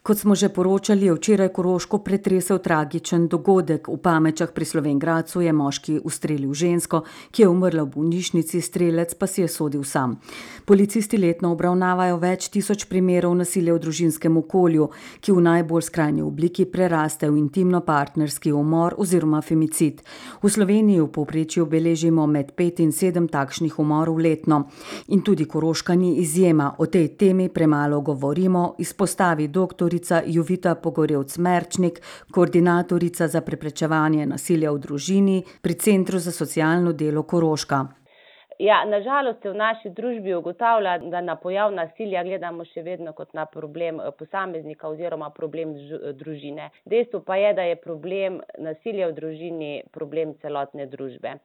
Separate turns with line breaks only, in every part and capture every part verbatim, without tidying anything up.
Kot smo že poročali, je včeraj Koroško pretresel tragičen dogodek. V Pamečah pri Slovenj Gradcu je moški ustrelil žensko, ki je umrla v bolnišnici, strelec pa si je sodil sam. Policisti letno obravnavajo več tisoč primerov nasilja v družinskem okolju, ki v najbolj skrajni obliki preraste v intimno-partnerski umor oziroma femicid. V Sloveniji v povprečju beležimo med pet in sedem takšnih umorov letno. In tudi Koroška ni izjema. O tej temi premalo govorimo, izpostavi doktor Jovita Pogorevc-Merčnik, koordinatorica za preprečevanje nasilja v družini pri Centru za socialno delo Koroška.
Ja, nažalost se v naši družbi ugotavlja, da na pojav nasilja gledamo še vedno kot na problem posameznika oziroma problem družine. Dejstvo pa je, da je problem nasilja v družini problem celotne družbe.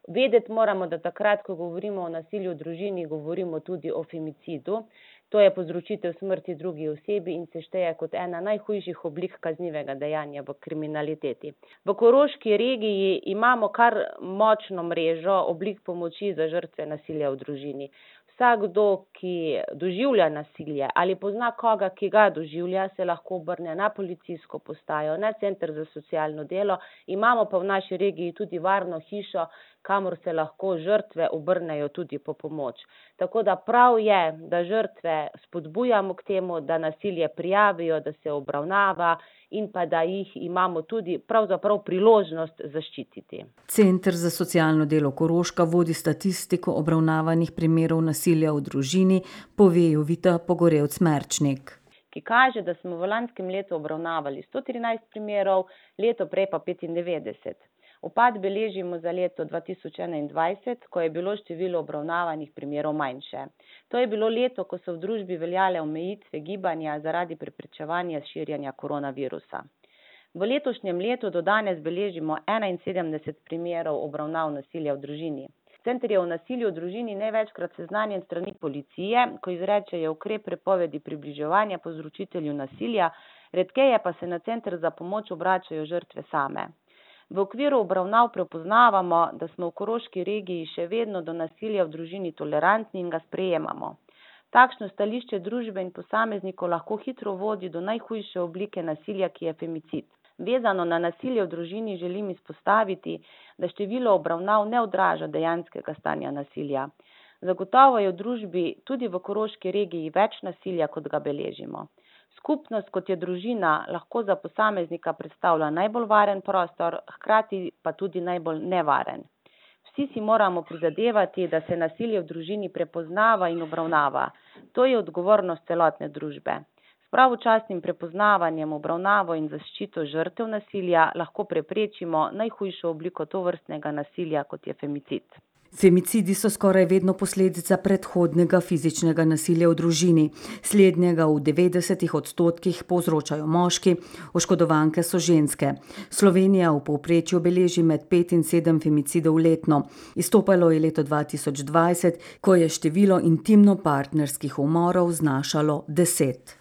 Vedeti moramo, da takrat, ko govorimo o nasilju v družini, govorimo tudi o femicidu. To je povzročitev smrti drugi osebi in se šteje kot ena najhujših oblik kaznivega dejanja v kriminaliteti. V Koroški regiji imamo kar močno mrežo oblik pomoči za žrtve nasilja v družini. Vsakdo, ki doživlja nasilje ali pozna koga, ki ga doživlja, se lahko obrne na policijsko postajo, na Center za socialno delo. Imamo pa v naši regiji tudi varno hišo, kamor se lahko žrtve obrnejo tudi po pomoč. Tako da prav je, da žrtve spodbujamo k temu, da nasilje prijavijo, da se obravnava in pa da jih imamo tudi pravzaprav priložnost zaščititi.
Center za socialno delo Koroška vodi statistiko obravnavanih primerov nasilja v družini, pove Jovita Pogorevc-Merčnik.
Ki kaže, da smo v lanskem letu obravnavali sto trinajst primerov, leto prej pa petindevetdeset. Upad beležimo za leto dva tisoč enaindvajset, ko je bilo število obravnavanih primerov manjše. To je bilo leto, ko so v družbi veljale omejitve gibanja zaradi preprečevanja širjenja koronavirusa. V letošnjem letu do danes beležimo enainsedemdeset primerov obravnav nasilja v družini. Center je o nasilju v družini največkrat seznanjen s strani policije, ko izrečejo ukrep prepovedi približevanja povzročitelju nasilja, redkeje pa se na center za pomoč obračajo žrtve same. V okviru obravnav prepoznavamo, da smo v Koroški regiji še vedno do nasilja v družini tolerantni in ga sprejemamo. Takšno stališče družbe in posameznikov lahko hitro vodi do najhujše oblike nasilja, ki je femicid. Vezano na nasilje v družini želim izpostaviti, da število obravnav ne odraža dejanskega stanja nasilja. Zagotovo je v družbi tudi v Koroški regiji več nasilja, kot ga beležimo. Skupnost, kot je družina, lahko za posameznika predstavlja najbolj varen prostor, hkrati pa tudi najbolj nevaren. Vsi si moramo prizadevati, da se nasilje v družini prepoznava in obravnava. To je odgovornost celotne družbe. S pravočasnim prepoznavanjem, obravnavo in zaščito žrtev nasilja lahko preprečimo najhujšo obliko tovrstnega nasilja, kot je femicid.
Femicidi so skoraj vedno posledica predhodnega fizičnega nasilja v družini. Slednjega v devetdesetih odstotkih povzročajo moški, oškodovanke so ženske. Slovenija v povprečju beleži med pet in sedem femicidov letno. Izstopalo je leto dva tisoč dvajset, ko je število intimno-partnerskih umorov znašalo deset.